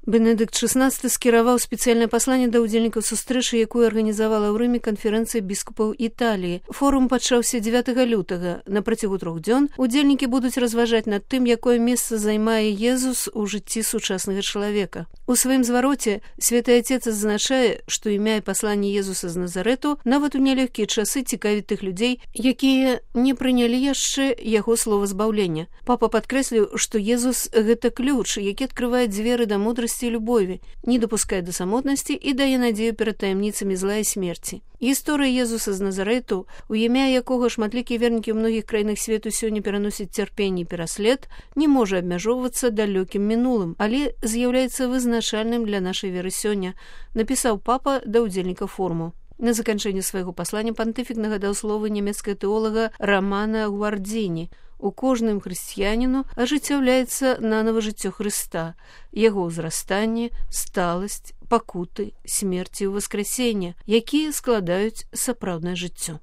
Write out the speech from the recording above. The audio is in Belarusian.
Бенедыкт XVI скіраваў спецыяльнае пасланне да ўдзельнікаў сустрэчы, якую арганізавала ў Рыме канферэнцыя біскупаў Італіі. Форум пачаўся 9 лютага. На працягу 3 дзён удзельнікі будуць разважаць над тым, якое месца займае Езус у жыцці сучаснага чалавека. У сваім звароце Святы Отец адзначае, што імя і пасланне Езуса з Назарэту нават у нялёгкія часы цікавіць тых людзей, якія не прынялі яшчэ яго слова збаўлення. Папа падкрэсліў, што Езус – гэта ключ, які адкрывае дзверы да мудрасці і любові, не дапускае да самотнасці і дае надзею перад таямніцамі зла і смерці. Гісторыя Езуса з Назарэту, у імя якога шматлікія вернікі ў многіх краінах свету сёння пераносяць цярпенне і пераслед, не можа абмяжоўвацца далёкім мінулым, але з'яўляецца вызначальным для нашай веры сёння, напісаў папа да ўдзельнікаў форуму. На заканчэнне свайго паслання пантыфік нагадаў словы нямецкага тэолага Романа Гвардзіні. У кожным хрысціяніну ажыццяўляецца нанава жыццё Хрыста, яго ўзрастанне, сталасць, пакуты, смерць і ўваскрасенне, якія складаюць сапраўднае жыццё.